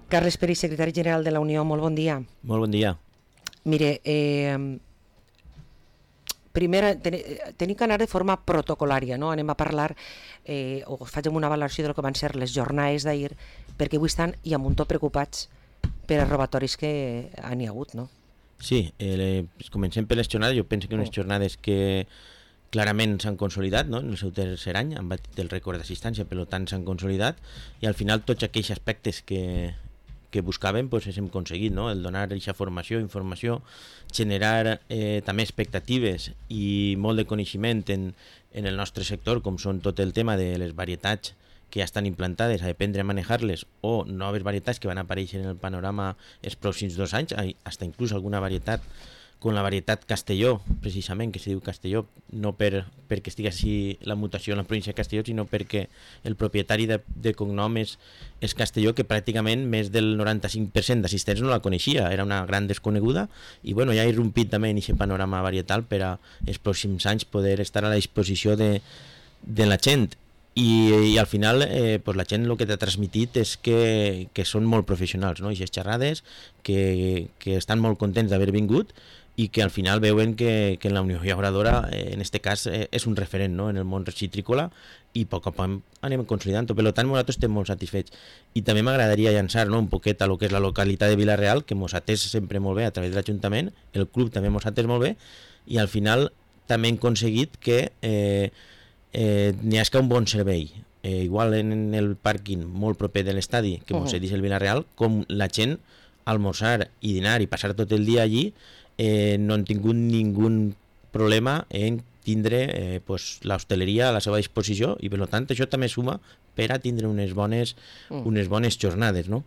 Carles Peris, secretari general de la Unió, molt bon dia. Molt bon dia. Mire, primer tenim que anar de forma protocolària, no? Anem a parlar, o faig una valoració del que van ser les jornades d'ahir, perquè avui estan i a muntó preocupats per els robatoris que han hi hagut, no? Sí, comencem per les jornades. Jo penso que unes jornades que clarament s'han consolidat, no? En el seu tercer any han batit el rècord d'assistència, per tant s'han consolidat, i al final tots aquells aspectes que buscàvem pues, hem aconseguit, no? El donar aquesta formació, informació, generar també expectatives i molt de coneixement en el nostre sector, com són tot el tema de les varietats que ja estan implantades, a aprendre a manejar-les, o noves varietats que van aparèixer en el panorama els pròxims 2 anys, fins inclús alguna varietat com la varietat Castelló, precisament, que se diu Castelló, no perquè estigui així la mutació en la província de Castelló, sinó perquè el propietari de cognom és Castelló, que pràcticament més del 95% d'assistents no la coneixia, era una gran desconeguda, i bueno, ja ha irrompit també en aquest panorama varietal per a els pròxims anys poder estar a la disposició de la gent. I al final pues la gent el que t'ha transmitit és que són molt professionals, no? I aquestes xerrades que estan molt contents d'haver vingut i que al final veuen que en la Unió Llauradora en este cas és un referent, no? En el món citrícola, i a poc a poc anem consolidant-ho. Per tant, nosaltres estem molt satisfets. I també m'agradaria llançar, no, un poquet a lo que és la localitat de Vila-real, que mos ha atès sempre molt bé a través de l'Ajuntament, el club també mos ha atès molt bé, i al final també hem aconseguit que n'hi hagi un bon servei, igual en el pàrquing molt proper de l'estadi que mos cedís el Vila-real, com la gent almorzar i dinar i passar tot el dia allí, no han tingut ningú problema en tindre l'hostaleria a la seva disposició, i per tant això també suma per a tindre unes bones jornades, no?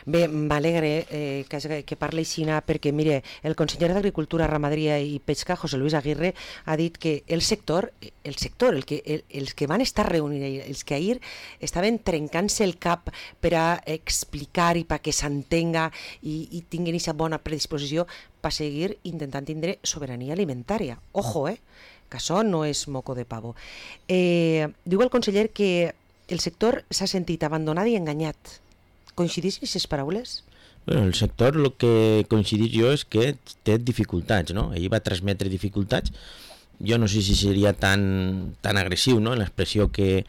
Bé, m'alegre que parli així, perquè mire, el conseller d'Agricultura, Ramaderia i Pesca, José Luis Aguirre, ha dit que el sector, els que van estar reunits, els que ahir estaven trencant-se el cap per a explicar i perquè s'entenga i tinguin aquesta bona predisposició per seguir intentant tindre sobirania alimentària. Ojo, que això no és moco de pavo. Diu el conseller que el sector s'ha sentit abandonat i enganyat. Coincidís en aquestes paraules? Bueno, el sector el que coincidís jo és que té dificultats, no? Ell va transmetre dificultats. Jo no sé si seria tan agressiu, no?, en l'expressió que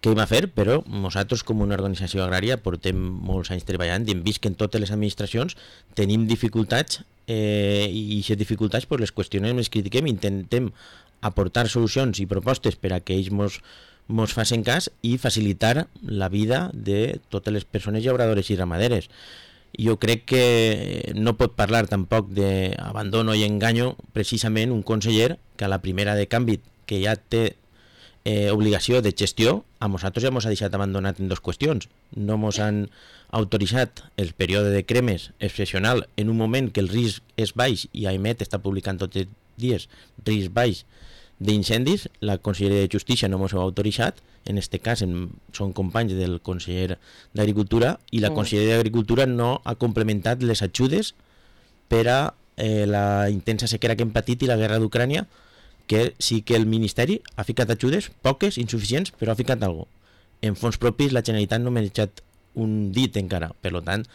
ell va fer, però nosaltres com una organització agrària portem molts anys treballant i hem vist que en totes les administracions tenim dificultats i aquestes dificultats les qüestionem, les critiquem, intentem aportar solucions i propostes per a que ells mos facin cas i facilitar la vida de totes les persones llauradores i ramaderes. Jo crec que no pot parlar tampoc d'abandono i enganyo precisament un conseller que a la primera de canvi, que ja té obligació de gestió, a nosaltres ja mos ha deixat abandonat en 2 qüestions. No mos han autoritzat el període de cremes excepcional en un moment que el risc és baix, i AEMET està publicant tots els dies risc baix d'incendis. La Conselleria de Justícia no ens ho ha autoritzat, en aquest cas són companys del conseller d'Agricultura, i la Conselleria d'Agricultura no ha complementat les ajudes per a la intensa sequera que hem patit i la guerra d'Ucrània, que sí que el Ministeri ha ficat ajudes, poques, insuficients, però ha ficat alguna cosa. En fons propis la Generalitat no m'ha deixat un dit encara, per tant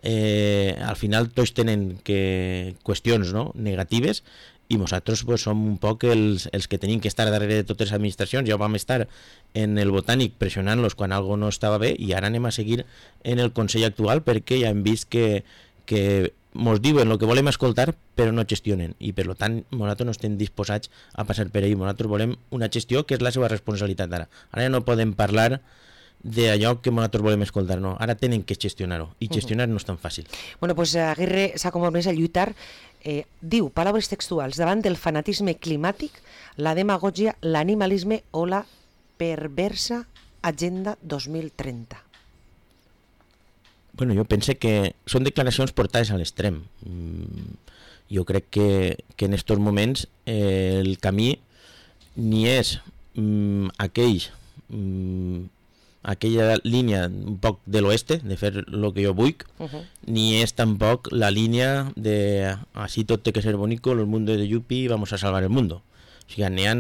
al final tots tenen qüestions, no?, negatives, i nosaltres som un poc els que tenim que estar darrere de totes les administracions. Ja vam estar en el Botànic pressionant-los quan alguna no estava bé, i ara anem a seguir en el Consell actual perquè ja hem vist que ens diuen el que volem escoltar però no gestionen, i per tant nosaltres no estem disposats a passar per ell. Nosaltres volem una gestió que és la seva responsabilitat ara. Ara ja no podem parlar d'allò que nosaltres volem escoltar, no, ara tenen que gestionar-ho, i gestionar no és tan fàcil. Bueno, pues Aguirre s'ha compromès a lluitar, diu, paraules textuals, davant del fanatisme climàtic, la demagògia, l'animalisme o la perversa Agenda 2030. Bueno, jo pense que són declaracions portades a l'extrem. Jo crec que en aquests moments el camí ni és aquella línia un poc de l'oeste, de fer el que jo vull, ni és tampoc la línia de així tot té que ser bonico, el mundo de Yupi, vamos a salvar el mundo. O sigui, n'hi ha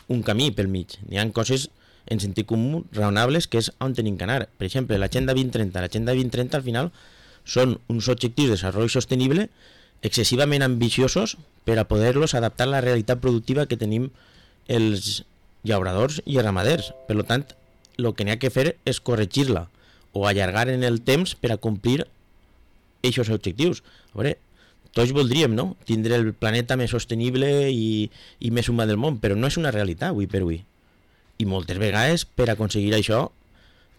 un camí pel mig, n'hi ha coses en sentit comú raonables que és on tenim que anar. Per exemple, l'Agenda 2030. L'Agenda 2030 al final són uns objectius de desenvolupament sostenible excessivament ambiciosos per a poder-los adaptar a la realitat productiva que tenim els llauradors i els ramaders. Per tant, el que n'hi ha que fer és corregir-la o allargar en el temps per a complir aquests objectius. A veure, tots voldríem, no?, tindre el planeta més sostenible i més humà del món, però no és una realitat avui per avui. I moltes vegades, per aconseguir això,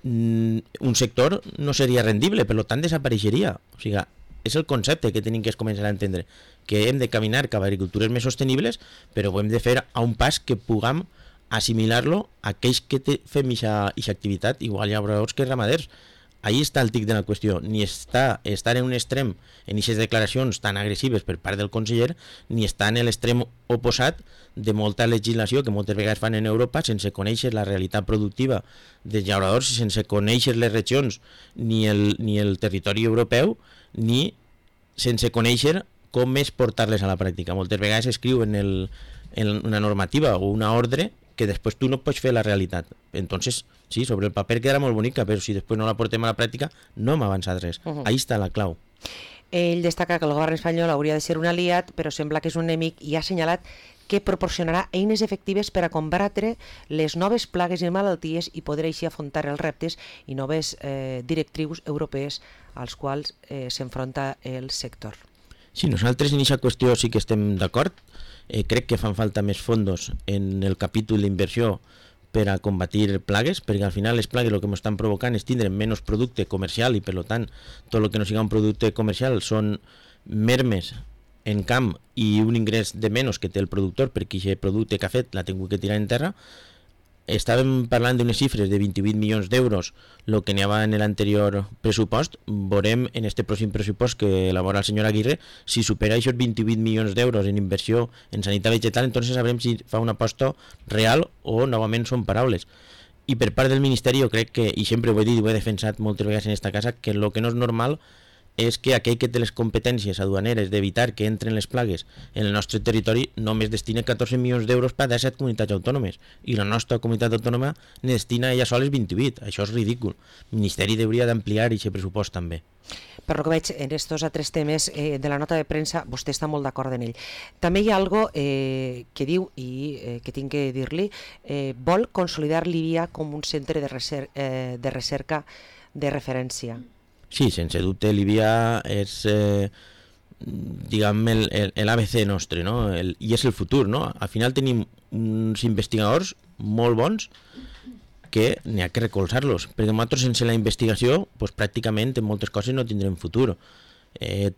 un sector no seria rendible, per tant desapareixeria. O sigui, és el concepte que tenim que començar a entendre, que hem de caminar cap a agricultures més sostenibles, però ho hem de fer a un pas que puguem assimilar-lo a aquells que fem aquesta activitat, igual llauradors que ramaders. Ahí està el tic de la qüestió. Ni està estar en un extrem en aquestes declaracions tan agressives per part del conseller, ni està en l'extrem oposat de molta legislació que moltes vegades fan en Europa sense conèixer la realitat productiva dels llauradors, sense conèixer les regions ni el territori europeu, ni sense conèixer com és portar-les a la pràctica. Moltes vegades escriu en una normativa o una ordre que després tu no pots fer la realitat. Entonces, sí, sobre el paper quedarà molt bonica, però si després no la portem a la pràctica no hem avançat res. Ahí està la clau. Ell destaca que el govern espanyol hauria de ser un aliat, però sembla que és un enemic, i ha assenyalat que proporcionarà eines efectives per a combatre les noves plagues i malalties i poder així afrontar els reptes i noves directrius europees als quals s'enfronta el sector. Sí, nosaltres en aquesta qüestió sí que estem d'acord. Crec que fan falta més fondos en el capítol d'inversió per a combatir plagues, perquè al final les plagues el que ens estan provocant és tindre menys producte comercial i per tant tot el que no sigui un producte comercial són mermes en camp i un ingrés de menys que té el productor perquè aquest producte que ha fet l'ha tingut que tirar en terra. Estàvem parlant d'unes xifres de 28 milions d'euros, el que n'hi havia en l'anterior pressupost. Veurem en este pròxim pressupost que elabora el senyor Aguirre si supera aquests 28 milions d'euros en inversió en sanitat vegetal, entonces sabrem si fa una aposta real o novament són paraules. I per part del Ministeri jo crec que, i sempre ho he dit i ho he defensat moltes vegades en esta casa, que el que no és normal és que aquell que té les competències aduaneres d'evitar que entren les plagues en el nostre territori només destina 14 milions d'euros per a 17 comunitats autònomes i la nostra comunitat autònoma ne destina ella sola 28. Això és ridícul. El Ministeri hauria d'ampliar aquest pressupost també. Per lo que veig en estos altres temes de la nota de premsa, vostè està molt d'acord en ell. També hi ha algo que diu, i que tinc que dir-li, vol consolidar l'IBIA com un centre de recerca de referència. Sí, sense dubte l'IBIA és diguem l'ABC nostre, no? I és el futur, no? Al final tenim uns investigadors molt bons que n'hi ha que recolzar-los, perquè nosaltres sense la investigació pues, pràcticament en moltes coses no tindrem futur.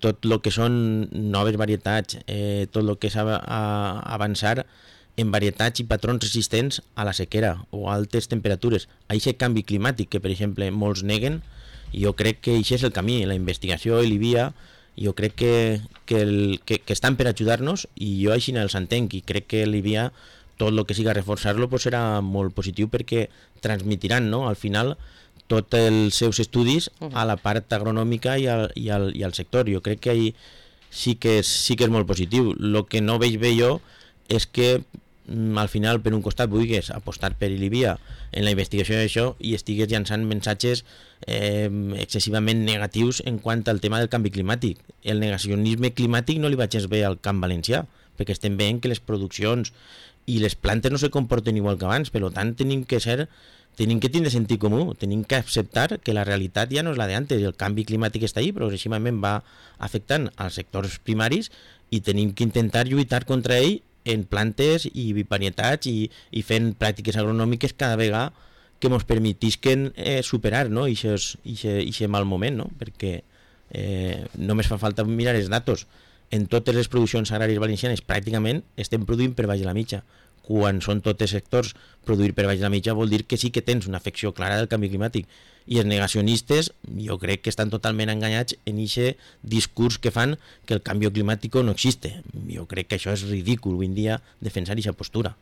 Tot el que són noves varietats, tot el que s'ha d'avançar en varietats i patrons resistents a la sequera o a altes temperatures. Aquest canvi climàtic que, per exemple, molts neguen, jo crec que això és el camí, la investigació i l'IBIA, jo crec que estan per ajudar-nos i jo així els entenc i crec que l'IBIA, tot el que siga reforçar-lo pues serà molt positiu perquè transmitiran, no?, al final tots els seus estudis a la part agronòmica i al sector. Jo crec que sí que és molt positiu. El que no veig bé jo és que al final per un costat vulguis apostar per l'IBIA en la investigació d'això i estigues llançant missatges excessivament negatius en quant al tema del canvi climàtic. El negacionisme climàtic no li vaig gens bé al camp valencià, perquè estem veient que les produccions i les plantes no se comporten igual que abans, per tant tenim que tindre sentit comú, tenim que acceptar que la realitat ja no és la d'antes, el canvi climàtic està ahí, progressivament va afectant als sectors primaris i tenim que intentar lluitar contra ell en plantes i varietats i fent pràctiques agronòmiques cada vegada que ens permetisquen superar, no?, aquest mal moment, no? Perquè només fa falta mirar els datos. En totes les produccions agràries valencianes pràcticament estem produint per baix de la mitja. Quan són tots sectors produir per baix de la mitja vol dir que sí que tens una afecció clara del canvi climàtic. I els negacionistes jo crec que estan totalment enganyats en aquest discurs que fan que el canvi climàtic no existe. Jo crec que això és ridícul avui en dia defensar aquesta postura.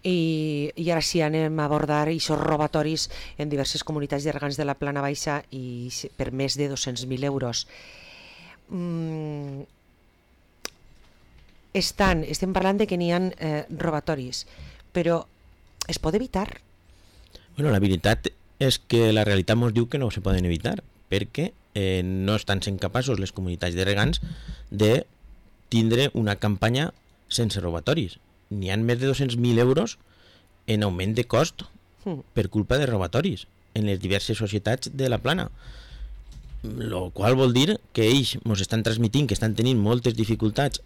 I ara sí anem a abordar aquests robatoris en diverses comunitats de regants de la Plana Baixa i per més de 200.000 euros. Estem parlant de que n'hi ha robatoris, però es pot evitar? Bueno, la veritat és que la realitat ens diu que no se poden evitar, perquè no estan sent capaços les comunitats de regants de tindre una campanya sense robatoris. N'hi ha més de 200.000 euros en augment de cost per culpa de robatoris en les diverses societats de la plana. Lo qual vol dir que ells ens estan transmitint que estan tenint moltes dificultats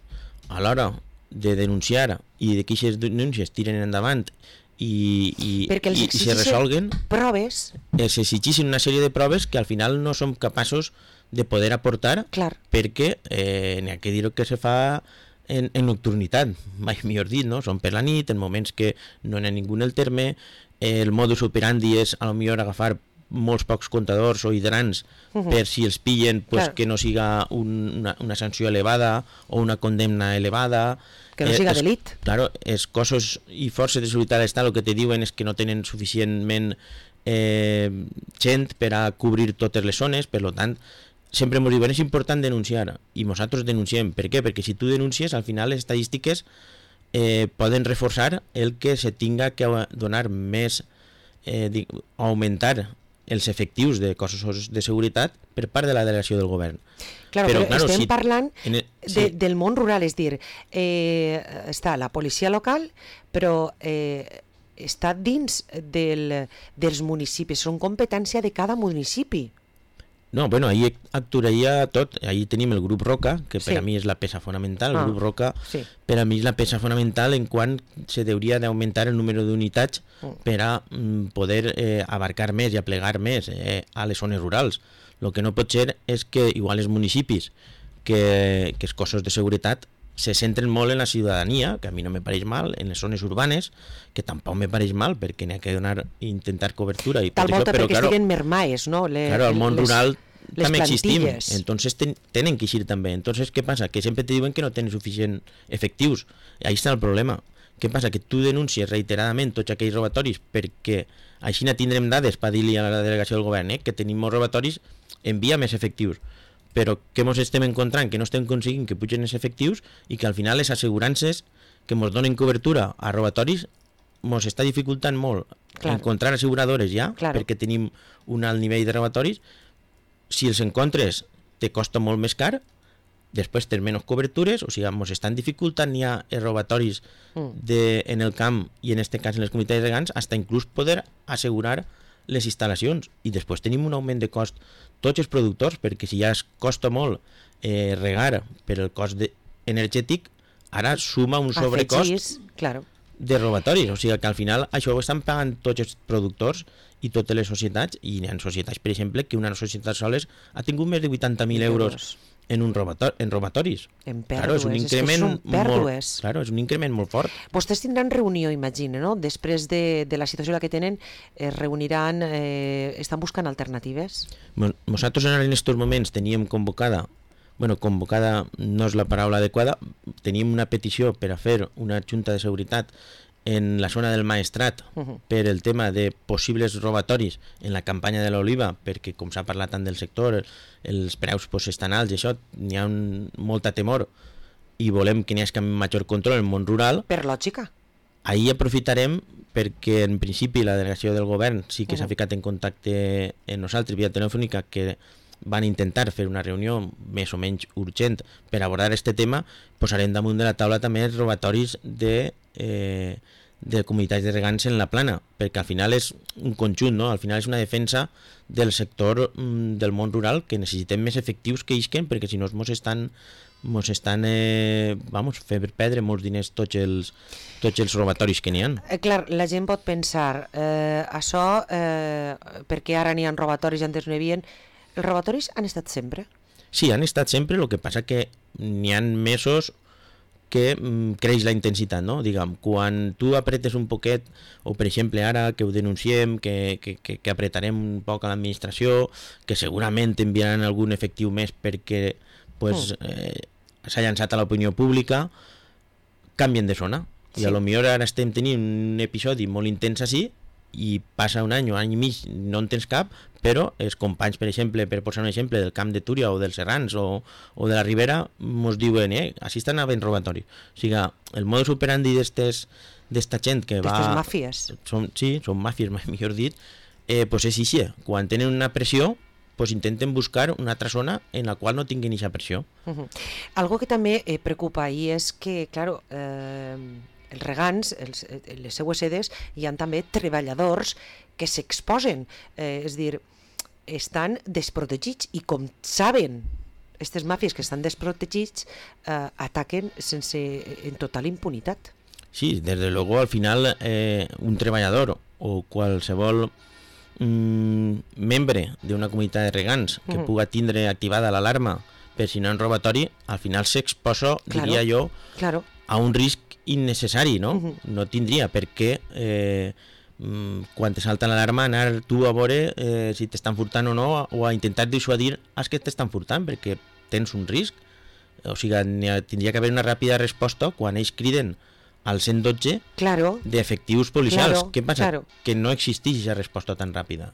a l'hora de denunciar i de que aquestes denúncies tiren endavant i se resolguen proves. Es exigeixen una sèrie de proves que al final no som capaços de poder aportar. Clar. Perquè n'hi ha que dir que se fa en nocturnitat, mai millor dit, no? Són per la nit, en moments que no n'hi ha ningú en el terme, el modus operandi és a lo millor agafar molts pocs comptadors o hidrants per si els pillen pues, que no siga una sanció elevada o una condemna elevada, que no siga delit. Claro, els cossos i forces de seguretat de l'Estat el que te diuen és que no tenen suficientment gent per a cobrir totes les zones, per tant sempre ens diuen és important denunciar i nosaltres denunciem. Per què? Perquè si tu denuncies al final les estadístiques poden reforçar el que se tinga que donar més augmentar els efectius de cossos de seguretat per part de la delegació del govern. Claro, però estem parlant del món rural, és dir, està la policia local, però està dins dels municipis, són competència de cada municipi. No, bueno, ahí actuaria tot. Ahí tenim el grup Roca, que per a mi és la peça fonamental. El grup Roca per a mi és la peça fonamental en quant se hauria d'augmentar el número d'unitats per a poder abarcar més i aplegar més a les zones rurals. El que no pot ser és que igual els municipis que els cossos de seguretat se centren molt en la ciutadania, que a mi no me pareix mal, en les zones urbanes, que tampoc me pareix mal, perquè n'hi ha que intentar cobertura. I tal volta perquè estiguen mermaes, no? Claro, al món rural també existim, entonces tenen que eixir també. Entonces, què passa? Que sempre te diuen que no tenen suficient efectius. Ahí està el problema. Què passa? Que tu denuncies reiteradament tots aquells robatoris perquè així no tindrem dades per dir-li a la delegació del govern que tenim molts robatoris, envia més efectius. Però què ens estem encontrant? Que no estem aconseguint que pugen els efectius i que al final les assegurances que ens donen cobertura a robatoris ens està dificultant molt encontrar asseguradores ja, perquè tenim un alt nivell de robatoris. Si els encontres te costa molt més car, després tens menys cobertures, o sigui, ens estan dificultant ja els robatoris en el camp i en aquest cas en les comunitats de regants, fins inclús poder assegurar les instal·lacions. I després tenim un augment de cost tots els productors, perquè si ja es costa molt regar per el cost energètic, ara suma un sobrecost de robatoris, o sigui que al final això ho estan pagant tots els productors i totes les societats, i hi ha societats, per exemple, que una societat soles ha tingut més de 80.000 euros en robatoris. En pèrdues, és un increment molt fort. Vostès tindran reunió, imagina, no? Després de la situació la que tenen, es reuniran, estan buscant alternatives? Nosaltres en aquests moments teníem convocada no és la paraula adequada, teníem una petició per a fer una junta de seguretat en la zona del Maestrat per el tema de possibles robatoris en la campanya de l'oliva, perquè com s'ha parlat tant del sector, els preus estan alts i això, n'hi ha molta temor i volem que n'hi hagi major control en el món rural. Per lògica. Ahir aprofitarem perquè en principi la delegació del govern sí que s'ha ficat en contacte amb nosaltres via telefònica, que van intentar fer una reunió més o menys urgent per abordar aquest tema. Posarem damunt de la taula també els robatoris de comunitats de regants en la plana, perquè al final és un conjunt, no? Al final és una defensa del sector del món rural, que necessitem més efectius que isquen, perquè si no ens estan fent perdre molts diners tots els robatoris que n'hi ha. Clar, la gent pot pensar això perquè ara n'hi ha robatoris i antes no hi havia. Els robatoris han estat sempre? Sí, han estat sempre, el que passa que n'hi ha mesos que creix la intensitat, no? Diguem, quan tu apretes un poquet, o per exemple ara que ho denunciem, que apretarem un poc a l'administració, que segurament enviaran algun efectiu més perquè s'ha llançat a l'opinió pública, canvien de zona. I a lo millor ara estem tenint un episodi molt intens així, i passa un any o any i mig, no en tens cap, però els companys, per exemple, per posar un exemple del camp de Túria o dels Serrans o de la Ribera, ens diuen, així estan havent robatoris. O sigui, el modus operandi d'esta gent que va... D'estes màfies. Són màfies, millor dit, és així. Quan tenen una pressió, pues intenten buscar una altra zona en la qual no tinguin aquesta pressió. Algo que també preocupa i és que, claro, els regants, les seues sedes, hi ha també treballadors que s'exposen, és dir, estan desprotegits i com saben aquestes màfies que estan desprotegits ataquen en total impunitat. Sí, desde luego al final un treballador o qualsevol membre d'una comunitat de regants que puga tindre activada l'alarma per si no en robatori, al final s'exposa, diria jo, a un risc innecessari, no? No tindria per què quan te salta l'alarma anar tu a veure si t'estan furtant o no, o a intentar dissuadir els que t'estan furtant, perquè tens un risc. O sigui, tindria que haver una ràpida resposta quan ells criden al 112 d'efectius policials. Què passa? Que no existeix aquesta resposta tan ràpida.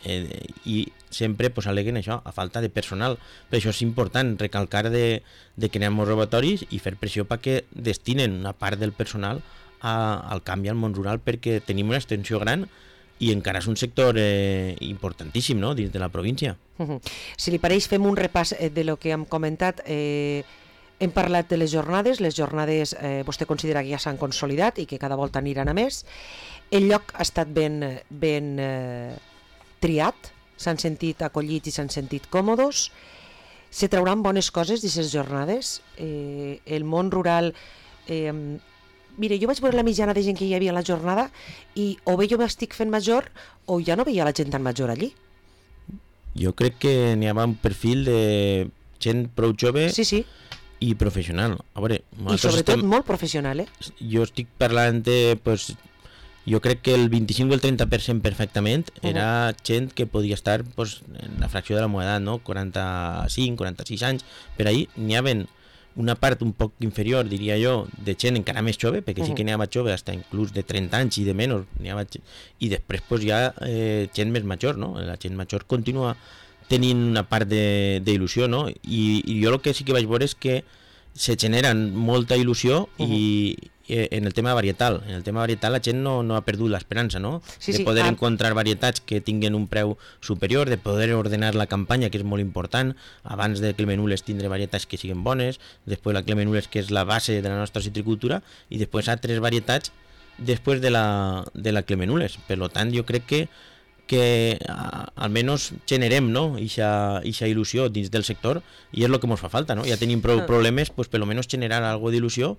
I sempre aleguen això, a falta de personal. Per això és important recalcar de que anem als robatoris i fer pressió perquè destinen una part del personal al canvi al món rural, perquè tenim una extensió gran i encara és un sector importantíssim, no?, dins de la província. Si li pareix, fem un repàs de lo que hem comentat. Hem parlat de les jornades vostè considera que ja s'han consolidat i que cada volta aniran a més. El lloc ha estat ben triat, s'han sentit acollits i s'han sentit còmodes. Se trauran bones coses d'aquestes jornades. El món rural... Mira, jo vaig veure la mitjana de gent que hi havia a la jornada i o bé jo m'estic fent major o ja no veia la gent tan major allí. Jo crec que n'hi havia un perfil de gent prou jove i professional. A veure, i sobretot molt professional, Jo estic parlant de... Jo crec que el 25 o el 30% perfectament era gent que podia estar en la fracció de la meva edat, no? 45, 46 anys. Per ahí n'hi havia una part un poc inferior, diria jo, de gent encara més jove, perquè sí que n'hi havia jove fins inclús de 30 anys i de menys, i després hi ha gent més major, no? La gent major continua tenint una part d'il·lusió, no? I jo el que sí que vaig veure és que se generen molta il·lusió i en el tema varietal. En el tema varietal la gent no ha perdut l'esperança, no? De poder encontrar varietats que tinguin un preu superior, de poder ordenar la campanya, que és molt important, abans de Clemenules tindre varietats que siguin bones, després la Clemenules, que és la base de la nostra citricultura, i després altres varietats després de la Clemenules. Per tant, jo crec que almenys generem, no, ixa il·lusió dins del sector, i és el que ens fa falta, no? Ja tenim prou problemes, pues per almenys generar algo d'il·lusió.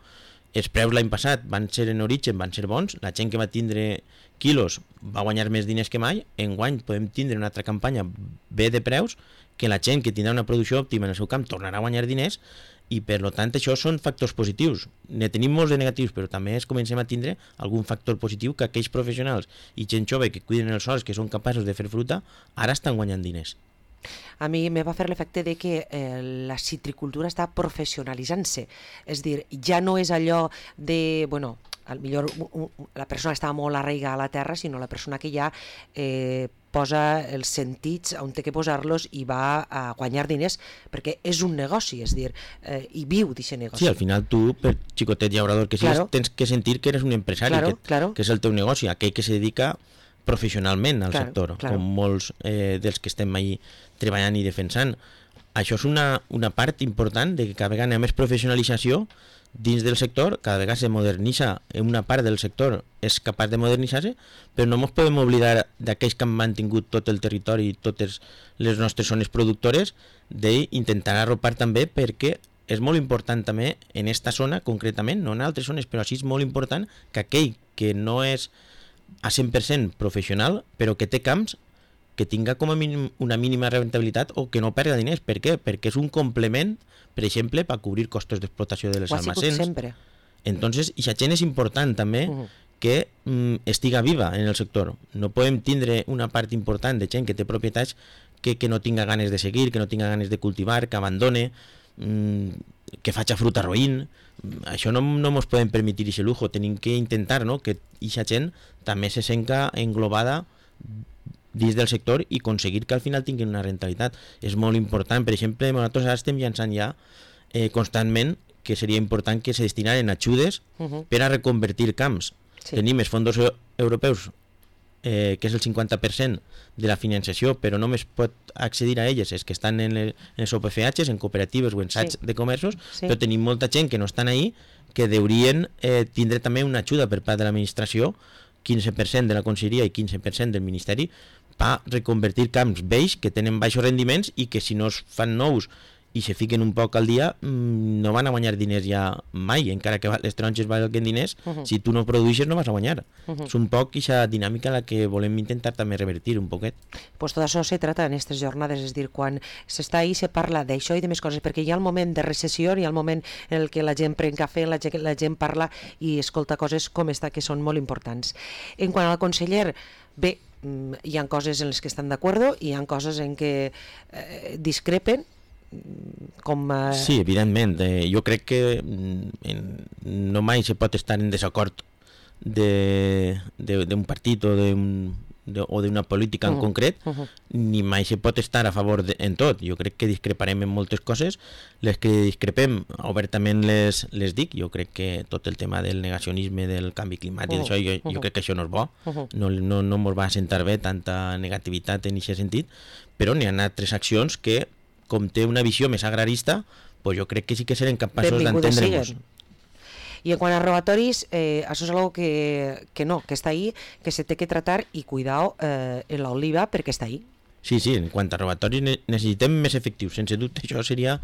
Els preus l'any passat van ser en origen, van ser bons, la gent que va tindre quilos va guanyar més diners que mai, enguany podem tindre una altra campanya bé de preus, que la gent que tindrà una producció òptima en el seu camp tornarà a guanyar diners, i per tant això són factors positius. Ne tenim molts de negatius, però també comencem a tindre algun factor positiu, que aquells professionals i gent jove que cuiden els sols, que són capaços de fer fruita, ara estan guanyant diners. A mi me va fer l'efecte de que la citricultura està professionalitzant-se, és dir, ja no és allò de, bueno, millor la persona estava molt arraigada a la terra, sinó la persona que ja posa els sentits on té que posar-los i va a guanyar diners, perquè és un negoci, és dir, i viu d'aquest negoci. Sí, al final tu, per xicotet llaurador que sigues, tens que sentir que eres un empresari, que és el teu negoci, aquell que se dedica professionalment al sector, com molts dels que estem ahí treballant i defensant. Això és una part important de que cada vegada hi ha més professionalització dins del sector, cada vegada se modernitza, una part del sector és capaç de modernitzar-se, però no ens podem oblidar d'aquells que han mantingut tot el territori i totes les nostres zones productores, d'intentar arropar també, perquè és molt important també en aquesta zona concretament, no en altres zones, però sí és molt important que aquell que no és a 100% professional, però que té camps, que tinga com a mínim una mínima rentabilitat o que no perda diners. Per què? Perquè és un complement, per exemple, per cobrir costos d'explotació de les almacens. Sempre. Entonces, aquesta gent és important també que estiga viva en el sector. No podem tindre una part important de gent que té propietats que no tinga ganes de seguir, que no tinga ganes de cultivar, que abandone, que faci fruta roïn. Això no ens podem permetre aquest lujo. Tenim que intentar, no, que aquesta gent també se senta englobada dins del sector i aconseguir que al final tinguin una rentabilitat. És molt important. Per exemple, nosaltres ara estem llançant ja constantment que seria important que se destinaren ajudes per a reconvertir camps. Tenim els fons europeus que és el 50% de la financiació, però només pot accedir a elles els que estan en els OPFHs, en cooperatives o en SATs de comerços, però tenim molta gent que no estan ahí, que deurien tindre també una ajuda per part de l'administració, 15% de la Conselleria i 15% del Ministeri, per reconvertir camps vells que tenen baixos rendiments i que si no es fan nous i se fiquen un poc al dia, no van a guanyar diners ja mai, encara que les taronges valguen diners, si tu no produeixes no vas a guanyar. És un poc aquesta dinàmica la que volem intentar també revertir un poquet. Pues tot això se trata en aquestes jornades, és dir, quan s'està ahí se parla d'això i de més coses, perquè hi ha el moment de recessió, hi ha el moment en el que la gent pren cafè, la gent parla i escolta coses com esta que són molt importants. En quant al conseller, bé, hi ha coses en les que estan d'acord, hi ha coses en què discrepen, com... Sí, evidentment. Jo crec que no mai se pot estar en desacord d'un partit o d'una política en concret, ni mai se pot estar a favor en tot. Jo crec que discreparem en moltes coses. Les que discrepem obertament les dic. Jo crec que tot el tema del negacionisme, del canvi climàtic, això, jo crec que això no és bo. No ens va sentar bé tanta negativitat en aquest sentit, però n'hi ha altres accions que, com té una visió més agrarista, pues jo crec que sí que serem capaços d'entendre-nos. I en quant a robatoris, això és algo que està ahí, que se té que tratar i cuidao en l'oliva perquè està ahí. Sí, en quant a robatoris necessitem més efectius, sense dubte això seria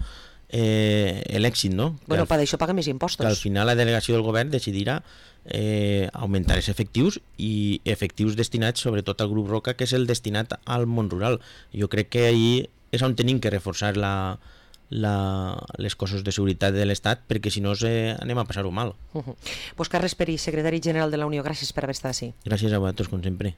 l'èxit, no? Bueno, per això paga més impostos. Que al final la delegació del govern decidirà augmentar els efectius i efectius destinats sobretot al grup Roca, que és el destinat al món rural. Jo crec que ahir és on tenim que reforçar les cossos de seguretat de l'Estat, perquè si no anem a passar-ho mal. Pues Carles Peris, secretari general de la Unió, gràcies per haver estat així. Gràcies a vosaltres, com sempre.